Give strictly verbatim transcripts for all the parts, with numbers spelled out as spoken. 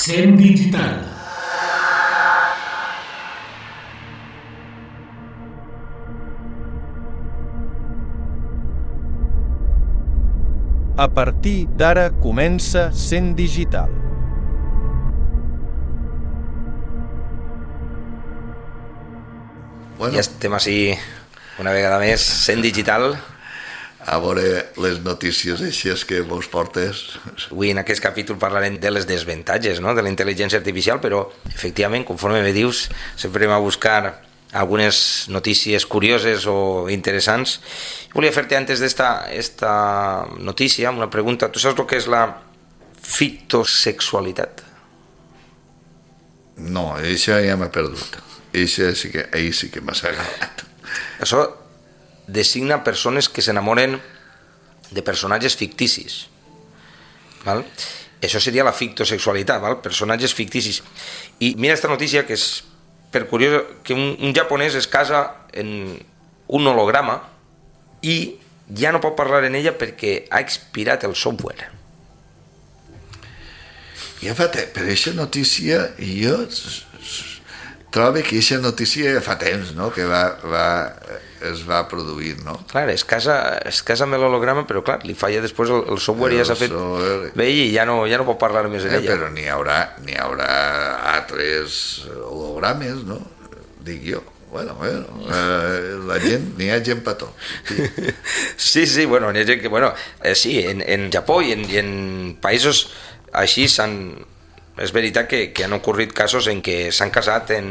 Cent Digital. A partir d'ara comença Cent Digital. Bueno, ja estem així una vegada més, Cent Digital. A veure les notícies així que vos portes. Avui en aquest capítol parlarem de les desavantatges, no?, de la intel·ligència artificial, però efectivament, conforme me dius, sempre anem a buscar algunes notícies curioses o interessants. Volia fer-te antes d'esta esta notícia una pregunta. Tu saps el que és la fitosexualitat? No, això ja m'ha perdut. Això sí que, ahir sí que m'ha agradat. Això designa persones que s'enamoren de personatges ficticis. Val? Això seria la fictosexualitat, val? Personatges ficticis. I mira esta notícia que és per curiós, que un, un japonès es casa en un holograma i ja no pot parlar en ella perquè ha expirat el software. Ja fa temps, per aquesta notícia jo trobo que aquesta notícia fa temps, no?, que va, va, es va produir, no? Clar, es casa, es casa amb l'holograma, però clar, li falla després el, el software, el ja s'ha fet software... vell i ja no, ja no pot parlar més en eh, ella. Però n'hi haurà, n'hi haurà altres hologrames, no? Dic jo. Bueno, bueno, eh, la gent, n'hi ha gent per tot. Sí, sí, sí, bueno, n'hi ha gent que, bueno, eh, sí, en, en Japó i en, i en països així s'han... És veritat que, que han ocorrit casos en què s'han casat en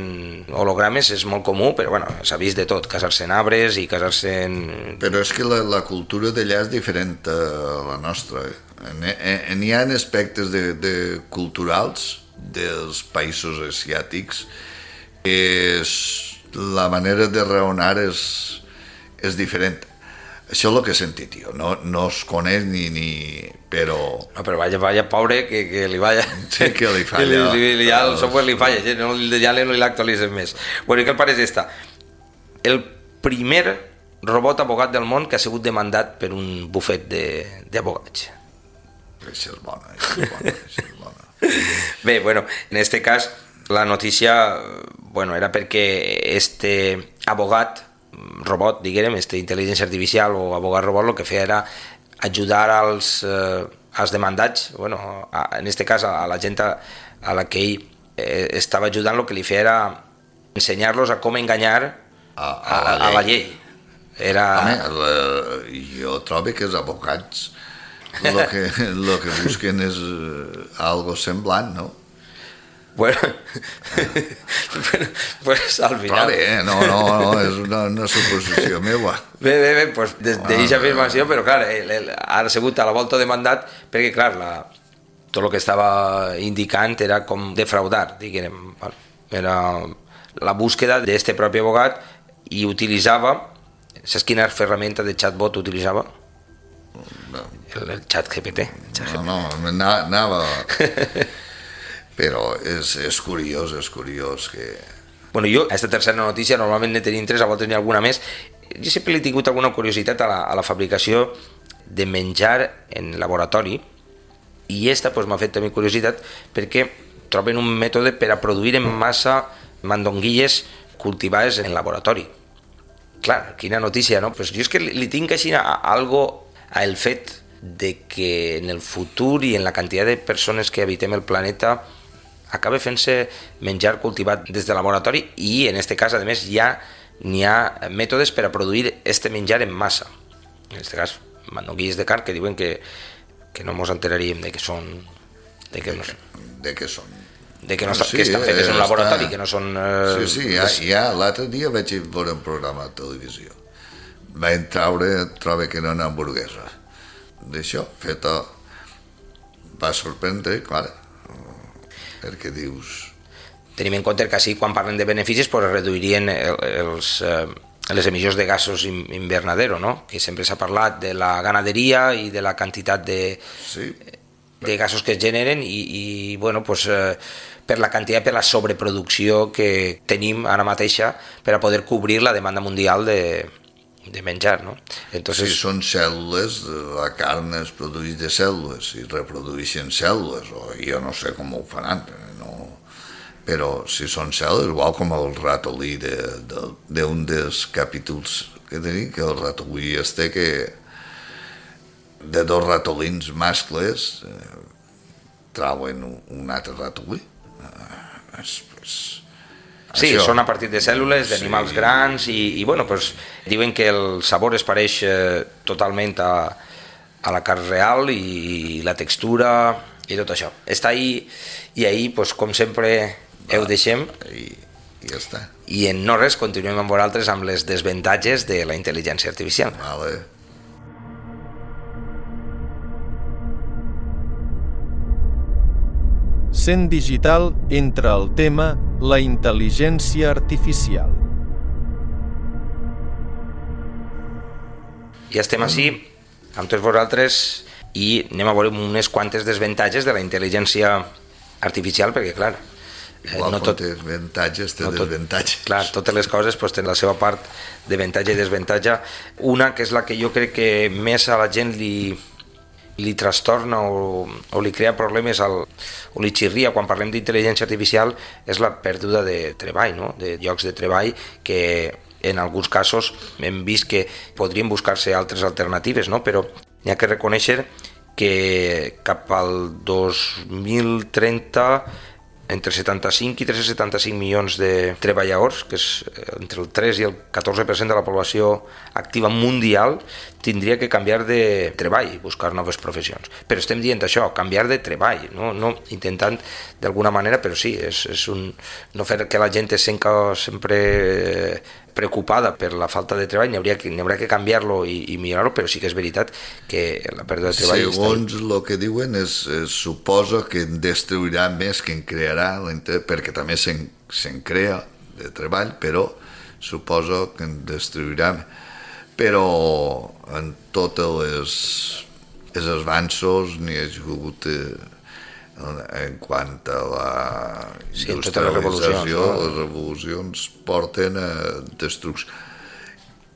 hologrames, és molt comú, però bueno, s'ha vist de tot, casar-se en arbres i casar-se en... Però és que la, la cultura d'allà és diferent a la nostra. Eh? N'hi ha aspectes de, de culturals dels països asiàtics que és, la manera de raonar és, és diferent. Això és el que he sentit, jo. No, no es coneix ni... ni però... No, però vaya, vaya, pobre, que, que li vaya... Sí, que li falla. li, li, ja el software li falla, no, ja no l'actualitzen més. Bueno, i què el pare és esta? El primer robot abogat del món que ha sigut demandat per un bufet d'abogats. Això és bona, això és bona, això és bona. Bé, bueno, en este cas, la notícia, bueno, era perquè este abogat, robot, diguem, este intel·ligència artificial o abogat robot, el que feia era ajudar als, eh, als demandats, bueno, a, en este cas a, a la gent a, a la que ell eh, estava ajudant, el que li feia era ensenyar-los a com enganyar a, a, a, a la llei. Era... Home, la, jo trobo que els abogats el que, lo que busquen és algo semblant, no? Bueno, pues al final... Però bé, no, no, no, és una, una suposició meva. Bé, bé, bé, pues d'aquesta afirmació, però clar, el, el, ha sigut a la volta de mandat, perquè clar, la, tot el que estava indicant era com defraudar, diguem, era la búsqueda d'este propi abogat i utilitzava, saps quina ferramenta de chatbot utilitzava? No. El, el chat G P T. No, no, anava... Però és, és curiós, és curiós que... Bueno, jo, a aquesta tercera notícia, normalment ne tenim tres, a voltes n'hi ha alguna més. Jo sempre he tingut alguna curiositat a la, a la fabricació de menjar en laboratori, i aquesta pues, m'ha fet també curiositat perquè troben un mètode per a produir en massa mandonguilles cultivades en laboratori. Clar, quina notícia, no? Pues jo és que li, li tinc així a, a algo a el fet de que en el futur i en la quantitat de persones que habitem el planeta acaba fent-se menjar cultivat des de laboratori i en aquest cas, a més, ja n'hi ha mètodes per a produir este menjar en massa. En aquest cas, mandonguilles de carn que diuen que, que no ens enteraríem de que són... De que, no, de que són... De que, no sí, que estan fetes en un laboratori, està... que no són... Eh, sí, sí, ja, ja l'altre dia vaig veure un programa de televisió vaig traure, trobo que era una hamburguesa. D'això, feta, va sorprendre, clar, perquè dius... Tenim en compte que així, quan parlen de beneficis, pues, reduirien el, els, eh, les emissions de gasos invernadero, no? Que sempre s'ha parlat de la ganaderia i de la quantitat de, sí. de gasos que es generen i, i bueno, pues, eh, per la quantitat, per la sobreproducció que tenim ara mateixa per a poder cobrir la demanda mundial de, de menjar, no? Entonces... Si són cèl·lules, la carn es produeix de cèl·lules i reprodueixen cèl·lules, o jo no sé com ho faran, no... però si són cèl·lules, igual com el ratolí d'un de, de, de dels capítols que tenim, que el ratolí este que de dos ratolins mascles eh, trauen un altre ratolí. Eh, és, és, sí, això. Són a partir de cèl·lules, d'animals sí. grans i, i bueno, pues, diuen que el sabor es pareix eh, totalment a, a la carn real i, i la textura i tot això. Està ahí i ahí, pues, com sempre, ho deixem i, i ja està. I en no res continuem amb vosaltres amb les desavantatges de la intel·ligència artificial. Vale. Cent Digital entra al tema la intel·ligència artificial. Ja estem així amb tots vosaltres i anem a veure unes quantes desavantatges de la intel·ligència artificial, perquè clar, igual no tot, té avantatges, té no desavantatges. Clar, totes les coses pues, tenen la seva part d'avantatge i desavantatge. Una que és la que jo crec que més a la gent li, li trastorna o, o li crea problemes al, o li xirria quan parlem d'intel·ligència artificial és la pèrdua de treball, no? De llocs de treball que en alguns casos hem vist que podrien buscar-se altres alternatives, no? Però hi ha que reconèixer que cap al dos mil trenta entre setanta-cinc i tres cents setanta-cinc milions de treballadors, que és entre el tres i el catorze per cent de la població activa mundial, tindria que canviar de treball i buscar noves professions. Però estem dient això, canviar de treball, no, no intentant d'alguna manera, però sí, és, és un, no fer que la gent es senta sempre preocupada per la falta de treball, n'hi hauria que, n'hi hauria que canviar-lo i, i millorar-lo, però sí que és veritat que la pèrdua de treball... Segons el que diuen, es, es suposa que en destruirà més que en crearà, perquè també se'n, se'n crea de treball, però suposo que en destruirà. Però en tots les, els avanços n'hi ha hagut en quant a la sí, industrialització, no? Les revolucions porten a destrucció.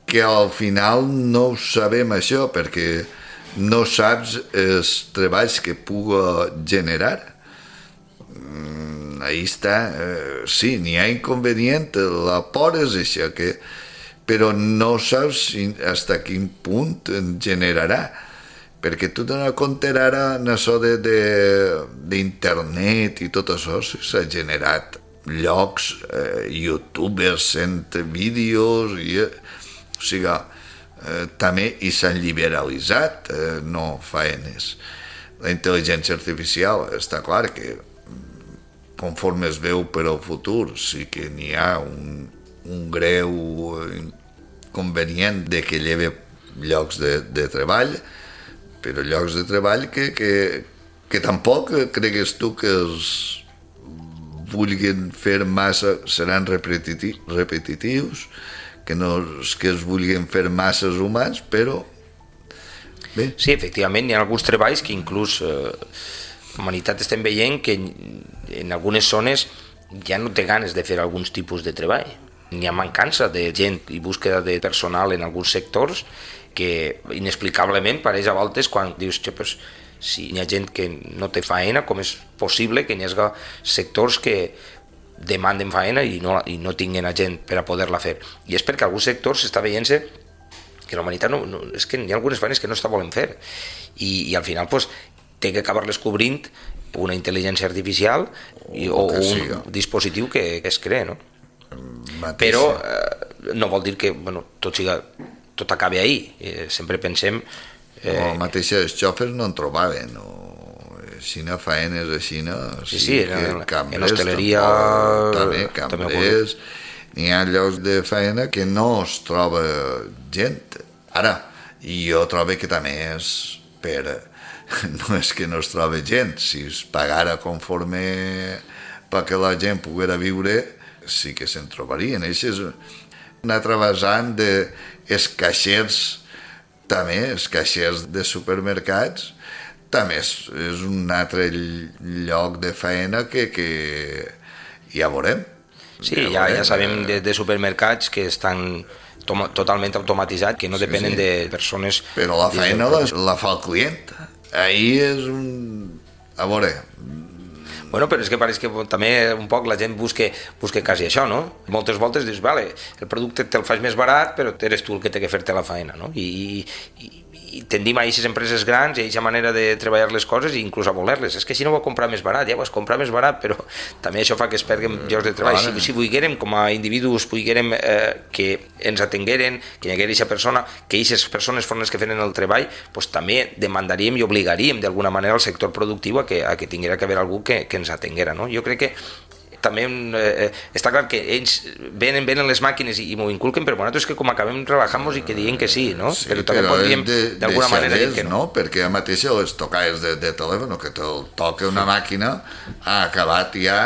Que al final no ho sabem això, perquè no saps els treballs que puga generar. Ahí està, eh, sí, n'hi ha inconvenient, la por és això, que, però no saps fins a quin punt en generarà. Perquè tu t'has de compte ara en això de, de, d'internet i tot això, s'ha generat llocs, eh, youtubers fent vídeos, i, o sigui, eh, també i s'han liberalitzat, eh, no faenes. La intel·ligència artificial està clar que conforme es veu per al futur sí que n'hi ha un, un greu inconvenient de que lleve llocs de, de treball, però llocs de treball que, que, que tampoc cregues tu que els vulguin fer massa, seran repetiti, repetitius, que no que es vulguin fer masses humans, però bé. Sí, efectivament, hi ha alguns treballs que inclús eh, la humanitat estem veient que en algunes zones ja no té ganes de fer alguns tipus de treball. N'hi ha mancança de gent i búsqueda de personal en alguns sectors que inexplicablement pareix a voltes quan dius, pues, si hi ha gent que no té faena, com és possible que hi hagi sectors que demanden faena i no, i no tinguin a gent per a poder-la fer. I és perquè alguns sectors s'està veient-se que la humanitat no, no, és que hi ha algunes faenes que no està volent fer i, i al final pues, té que acabar-les cobrint una intel·ligència artificial i, o, o un dispositiu que, que es crea, no? Mateixa. Però eh, no vol dir que bueno, tot siga tot acabi ahí, eh, sempre pensem... Eh... No, el mateix els xòfers no en trobaven, o xina faenes a Xina, sí, sí, en, cambrers, en l'hostaleria... També, cambrers, n'hi ha llocs de faena que no es troba gent, Ara, jo trobo que també és per... No és que no es trobi gent, si es pagara conforme perquè la gent poguera viure, sí que se'n trobarien. Això és una altra vessant dels caixers, també, els caixers de supermercats, també és, és un altre lloc de feina que, que ja veurem. Sí, ja, ja sabem de, de supermercats que estan tom, totalment automatitzats, que no sí, depenen sí. de persones... Però la feina la, la fa el client. Ahí és un... A veure... Bueno, però és que pareix que també un poc la gent busca, busca quasi això, no? Moltes voltes dius, vale, el producte te'l fas més barat, però eres tu el que té que fer-te la feina, no? I, i, i tendim a aquestes empreses grans i a aquesta manera de treballar les coses i inclús a voler-les. És que si no ho va comprar més barat, ja ho vas comprar més barat, però també això fa que es perguen llocs de treball. Si, si volguérem, com a individus, volguérem eh, que ens atengueren, que hi haguera aquesta persona, que aquestes persones foren les que feren el treball, doncs també demandaríem i obligaríem d'alguna manera al sector productiu a que, a que tinguera que haver algú que, que ens atenguera, no? Jo crec que també eh, està clar que ells venen, venen les màquines i, i m'ho inculquen, però nosaltres és que com acabem relajant-nos i que diguin que sí, no? Sí, però també podríem d'alguna manera dir que no. no. Perquè ja mateix les tocades de, de telèfon, que te'l toca una màquina, ha acabat ja,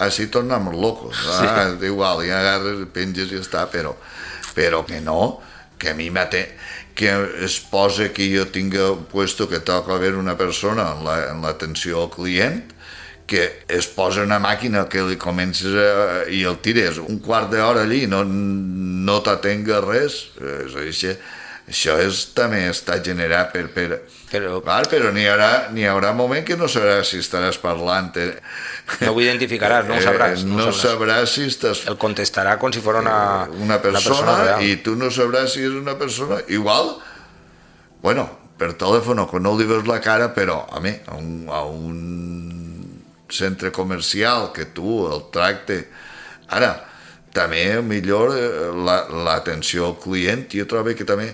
així tornem locos. Sí. Ah, igual, ja agarres, penges i està, però, però que no, que a mi mate, que es posa que jo tinga puesto que toca haver una persona en l'atenció al client, que es posa una màquina que li comences a, i el tires un quart d'hora allí, no, no t'atenga res, això, això és, també està generat per... per però clar, però n'hi haurà, n'hi haurà moment que no sabràs si estaràs parlant. No ho identificaràs, no ho sabràs. No, no sabràs si estàs... El contestarà com si fos una, una persona, una persona real. I tu no sabràs si és una persona... Igual, bueno, per telèfon, que no li veus la cara, però a mi, a un... A un centre comercial que tu el tracte. Ara, també millor l'atenció al client, jo trobo que també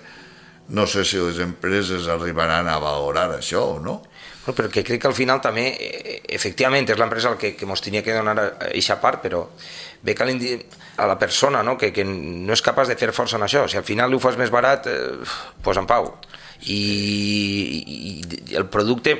no sé si les empreses arribaran a valorar això o no. Bueno, però que crec que al final també efectivament és l'empresa el que, que mos tenia que donar aquesta part, però ve que a la persona, no? que, que no és capaç de fer força en això. Si al final li ho fas més barat, eh, pues en pau. I, i el producte,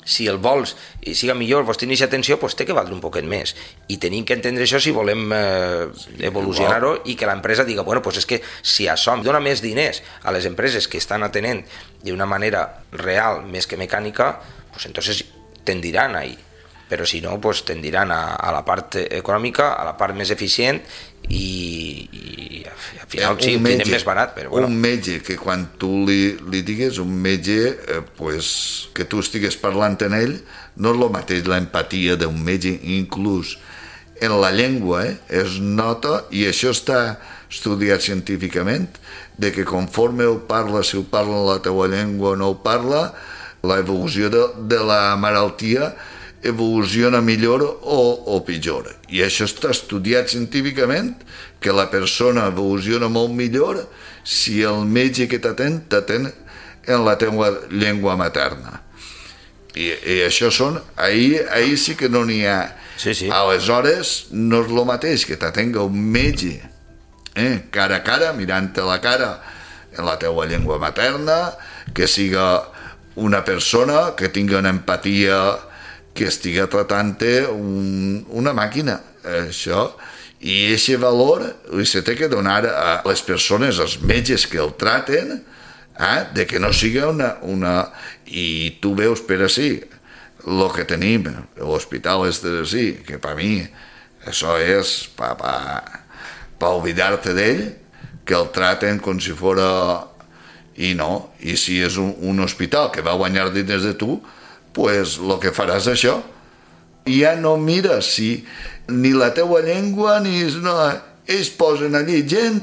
si el vols i siga millor, vols tenir aquesta atenció, doncs té que valdre un poquet més. I tenim que entendre això si volem eh, evolucionar-ho i que l'empresa diga, bueno, doncs és que si això dona més diners a les empreses que estan atenent d'una manera real més que mecànica, doncs entonces tendiran ahí. Però si no, doncs tendiran a, a la part econòmica, a la part més eficient i, i al final sí, ho tenen més barat. Però bueno. Un metge que quan tu li, li digues, un metge eh, pues, que tu estigues parlant en ell, no és el mateix l'empatia d'un metge, inclús en la llengua eh, es nota, i això està estudiat científicament, de que conforme ho parla, si ho parla en la teua llengua o no ho parla, l'evolució de, de la malaltia evoluciona millor o, o pitjor. I això està estudiat científicament, que la persona evoluciona molt millor si el metge que t'atén t'atén en la teva llengua materna. I, i això són... Ahir, ahir sí que no n'hi ha... Sí, sí. Aleshores, no és el mateix que t'atenga un metge eh, cara a cara, mirant-te la cara en la teva llengua materna, que siga una persona que tingui una empatia, que estigui tratant-te un, una màquina, això, i aquest valor li se té que donar a les persones, als metges que el traten, eh, de que no sigui una, una... I tu veus per així, el que tenim, l'hospital és de així, que per mi això és per pa, pa oblidar-te d'ell, que el traten com si fora... I no, i si és un, un hospital que va guanyar diners de tu, pues el que faràs això. I ja no mires si ni la teua llengua ni... No, ells posen allí gent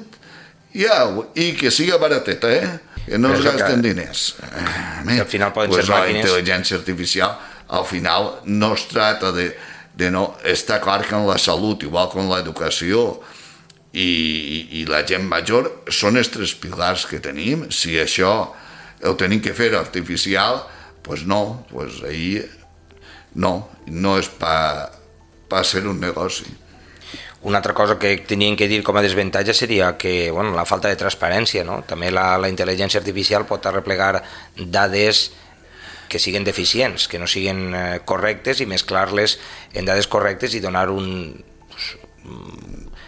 ja, i que siga barateta, eh? Que no es gasten que... diners. Que al final poden pues ser màquines... La intel·ligència artificial al final no es trata de, de no... Està clar que en la salut, igual que en l'educació i, i la gent major, són els tres pilars que tenim. Si això ho tenim que fer artificial, pues no, pues ahí no, no és per pa ser un negoci. Una altra cosa que tenien que dir com a desavantatge seria que bueno, la falta de transparència, no? També la, la intel·ligència artificial pot arreplegar dades que siguin deficients, que no siguin eh, correctes i mesclar-les en dades correctes i donar un...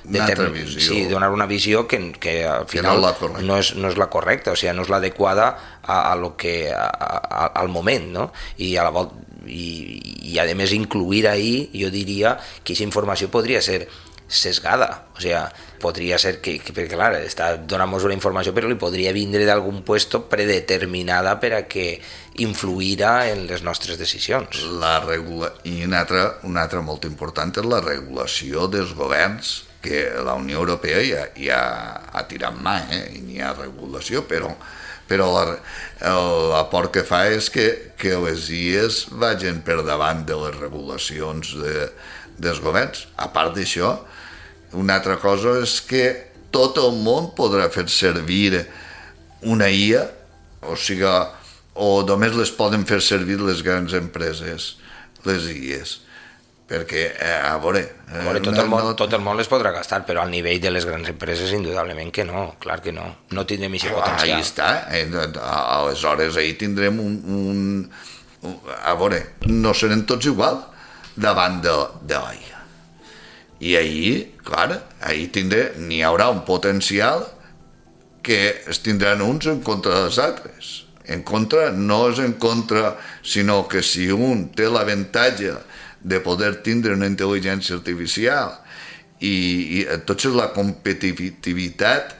Una altra visió. Sí, donar una visió que, que al final que no, no, és, no és la correcta, o sigui, no és l'adequada a, a lo que, a, a, al moment, no? I a la volta, i, i a més incluir ahí, jo diria que aquesta informació podria ser sesgada, o sigui, podria ser que, que perquè clar, està donant-nos una informació però li podria vindre d'algun puesto predeterminada per a que influirà en les nostres decisions. La regula... I una altra, una altra molt important és la regulació dels governs, que la Unió Europea ja, ja ha tirat mà, eh? I n'hi ha regulació, però, però l'aport que fa és que, que les I Es vagin per davant de les regulacions de, dels governs. A part d'això, una altra cosa és que tot el món podrà fer servir una I A, o sigui, o només les poden fer servir les grans empreses, les I Es, perquè, eh, a veure... Eh, veure tot, el món, no... tot el món les podrà gastar, però al nivell de les grans empreses, indudablement que no, clar que no, no tindrem aquest potencial. Ahí està, eh, aleshores ahí tindrem un, un, un... A veure, no serem tots igual davant de, de l'A I A. I ahí, clar, ahí tindré, n'hi haurà un potencial que es tindran uns en contra dels altres. En contra, no és en contra, sinó que si un té l'avantatge de poder tindre una intel·ligència artificial i, i tot és la competitivitat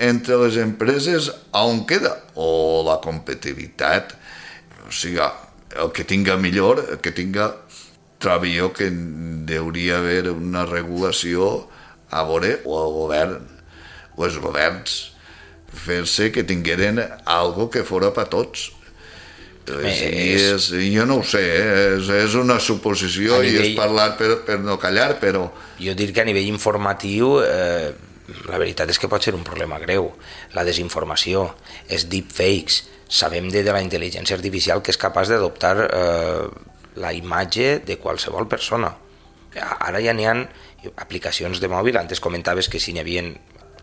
entre les empreses on queda, o la competitivitat, o sigui, el que tinga millor, el que tinga... Trobo jo que hauria haver una regulació a veure, o el govern, o els governs, fer-se que tingueren algo que fora per tots. És, és, jo no ho sé, eh? és, és una suposició nivell, i és parlar per, per no callar, però... Jo dir que a nivell informatiu eh, la veritat és que pot ser un problema greu. La desinformació, els deepfakes, sabem de, de la intel·ligència artificial que és capaç d'adoptar eh, la imatge de qualsevol persona. Ara ja n'hi ha aplicacions de mòbil, antes comentaves que si n'hi havia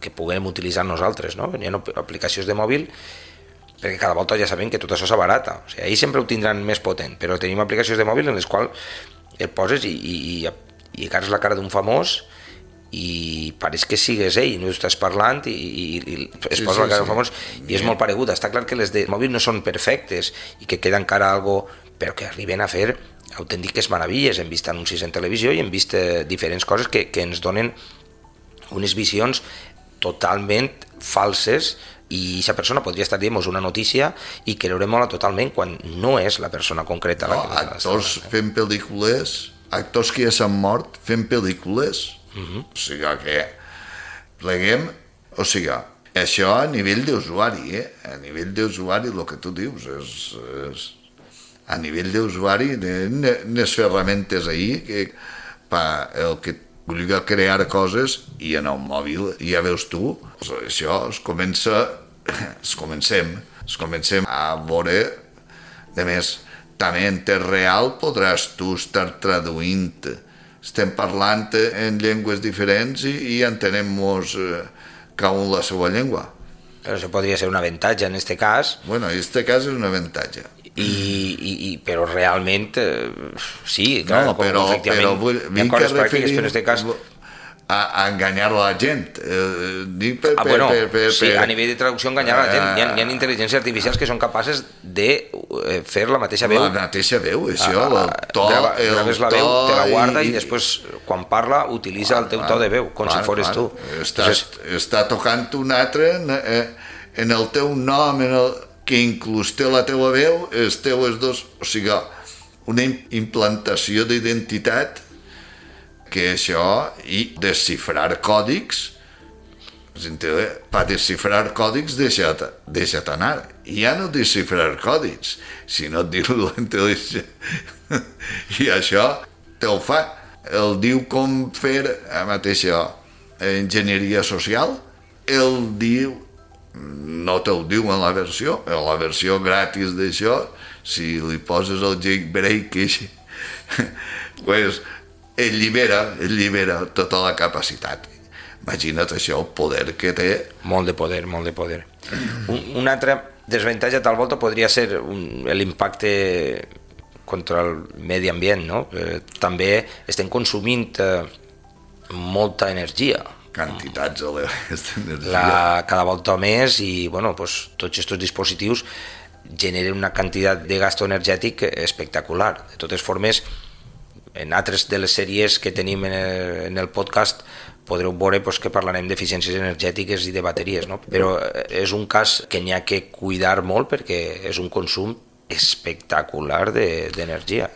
que puguem utilitzar nosaltres, no? N'hi ha aplicacions de mòbil perquè cada volta ja sabem que tot això s'abarata. O sigui, ahir sempre ho tindran més potent, però tenim aplicacions de mòbil en les quals et poses i, i, i, i agarres la cara d'un famós i pareix que sigues ell, no estàs parlant i, i, i es sí, posa sí, la cara d'un famós i és molt pareguda. Està clar que les de mòbil no són perfectes i que queda encara algo, però que arriben a fer autèntiques meravilles. Hem vist anuncis en televisió i hem vist eh, diferents coses que, que ens donen unes visions totalment falses i aquesta persona podria estar dient una notícia i creurem-la totalment quan no és la persona concreta. No, la que actors eh? fent pel·lícules, actors que ja s'han mort fent pel·lícules, uh-huh. O sigui que pleguem, o sigui, això a nivell d'usuari, eh? A nivell d'usuari el que tu dius és... és a nivell d'usuari, les ferramentes ahir, que pa, el que vulgui crear coses, i en el mòbil, ja veus tu, això es comença, es comencem, es comencem a veure, a més, també en temps real podràs tu estar traduint, estem parlant en llengües diferents i, i entenem-nos cada un la seva llengua. Però això podria ser un avantatge en aquest cas. Bueno, en aquest cas és un avantatge. I, i, i, però realment eh, sí, clar, no, però, efectivament però vull, hi ha coses pràctiques, però en aquest cas a, a enganyar la gent eh, dic per, ah, per, bueno, per, per, sí, per, a nivell de traducció enganyar la gent, hi ha, hi ha intel·ligències artificials que són capaces de eh, fer la mateixa veu, la mateixa veu, això, el to, grava, el graves la to veu, te la guarda i, i després quan parla utilitza clar, el teu clar, to de veu com clar, si fores clar. tu Estàs, Entonces, està tocant un altre en, en el teu nom, en el que inclús té la teva veu, els teus dos, o sigui, una implantació d'identitat que això, i desxifrar còdics, per desxifrar còdics deixa't, deixa't anar, i ja no desxifrar còdics, sinó dir-ho a l'intel·ligència, i això te ho fa, el diu com fer, a mateixa enginyeria social, el diu, no te'l diu en la versió, en la versió gratis d'això, si li poses el jailbreak, pues, ell llibera, ell llibera tota la capacitat. Imagina't això, el poder que té. Molt de poder, molt de poder. Un, un altre desavantatge tal volta podria ser un, l'impacte contra el medi ambient, no? Eh, també estem consumint eh, molta energia. Quantitats d'energia. La, cada volta més i bueno, pues, tots aquests dispositius generen una quantitat de gasto energètic espectacular. De totes formes, en altres de les sèries que tenim en el, en el podcast podreu veure pues, que parlarem d'eficiències energètiques i de bateries, no? Però és un cas que n'hi ha que cuidar molt perquè és un consum espectacular d'energia.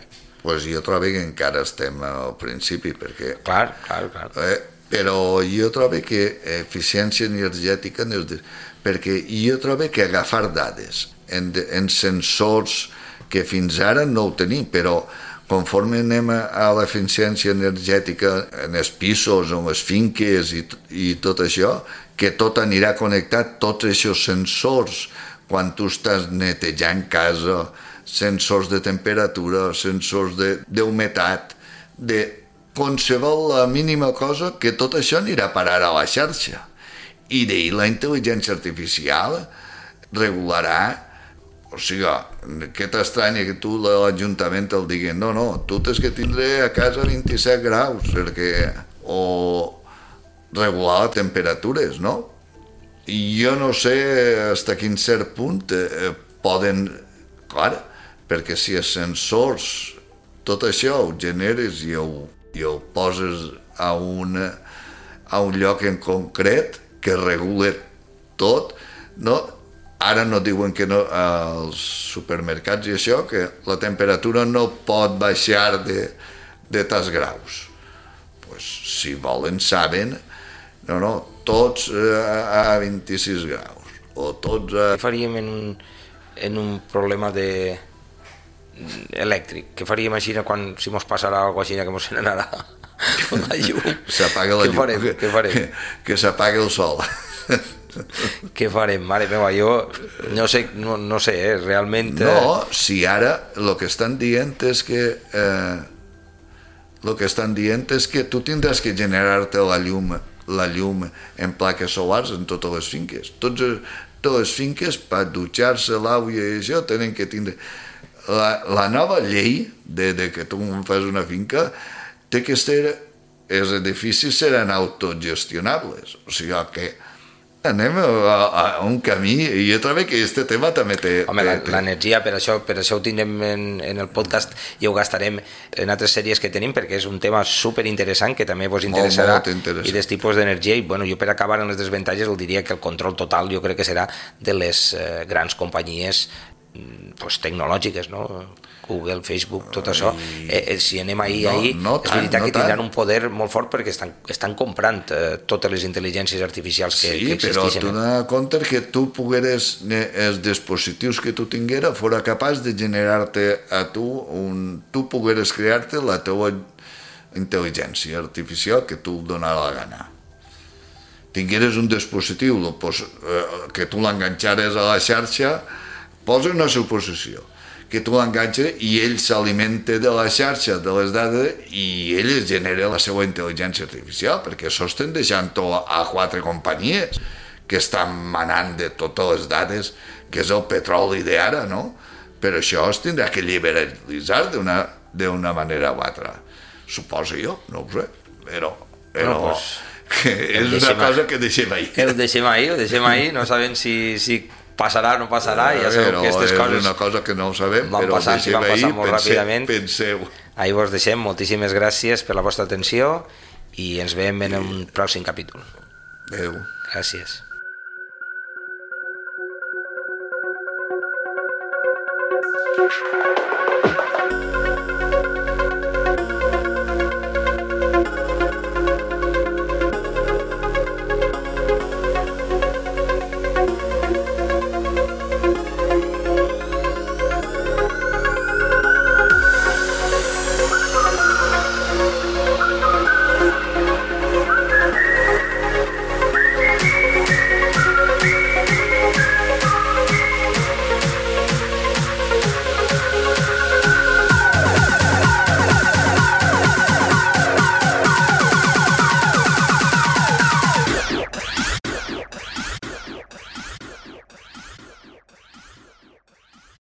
Pues jo trobo que encara estem al principi, perquè... Clar, clar, clar. Eh, però jo trobo que eficiència energètica no és de... perquè jo trobo que agafar dades en, en sensors que fins ara no ho tenim, però conforme anem a l'eficiència energètica en els pisos, en les finques i, i tot això, que tot anirà connectat, tots aquests sensors, quan tu estàs netejant casa, sensors de temperatura, sensors d'humitat, de, de qualsevol la mínima cosa, que tot això anirà a parar a la xarxa. I d'ahir la intel·ligència artificial regularà. O sigui, què t'estranya que tu l'Ajuntament el digui no, no, tu tens que tindre a casa vint-i-set graus, perquè... o regular les temperatures, no? I jo no sé fins a quin cert punt eh, poden... Clar, perquè si els sensors, tot això ho generes i ho, i ho poses a, una, a un lloc en concret que regula tot, no? Ara no diuen que no, als supermercats i això, que la temperatura no pot baixar de, de tants graus. Pues, si volen, saben, no, no, tots a vint-i-sis graus, o tots a... Què faríem en un, en un problema de elèctric? Què faríem així quan, si mos passarà alguna cosa així que mos n'anarà la llum? S'apaga la llum. Què farem? Què farem? Que, que s'apaga el sol. Què farem? Mare meva, jo no sé, no, no sé, eh, realment... Eh... No, si ara el que estan dient és que eh, el que estan dient és que tu tindràs que generar-te la llum, la llum en plaques solars en totes les finques. Tots, totes les finques, per dutxar-se l'aigua i això, tenen que tindre... La, la nova llei de, de que tu fas una finca té que ser... Els edificis seran autogestionables, o sigui que anem a, a un camí i jo trobo que aquest tema també té... Home, l'energia, per això, per això ho tindrem en, en el podcast i ho gastarem en altres sèries que tenim perquè és un tema superinteressant que també vos interessarà molt, molt i dels tipus d'energia i bueno, jo per acabar en les desavantatges el diria que el control total jo crec que serà de les eh, grans companyies pues, tecnològiques, no? Google, Facebook, tot això, eh, eh, si anem ahir, no, ahir, no és veritat no que tindran tant. Un poder molt fort perquè estan, estan comprant eh, totes les intel·ligències artificials que, sí, que existeixen. Sí, però tu n'has compte que tu pogueres, els dispositius que tu tingueres, fora capaç de generar-te a tu, un, tu pogueres crear-te la teva intel·ligència artificial que tu donarà la gana. Tingueres un dispositiu pues, eh, que tu l'enganxares a la xarxa, posa una suposició, que tu l'enganxes i ell s'alimenta de la xarxa, de les dades, i ell es genera la seva intel·ligència artificial, perquè això estem deixant-ho a quatre companyies que estan manant de totes les dades, que és el petroli d'ara, no? Però això es tindrà que liberalitzar d'una d'una manera o altra. Suposo jo, no ho sé, però... però bueno, pues, que és una cosa que deixem ahir. El deixem ahir, ho deixem ahir, no sabem si... si passarà o no passarà, ja sabeu que aquestes coses... És una cosa que no ho sabem, van però passar, deixem van passar ahir, molt penseu, ràpidament. Penseu. Ahir vos deixem, moltíssimes gràcies per la vostra atenció i ens veiem en un pròxim capítol. Adéu. Gràcies. Thank you.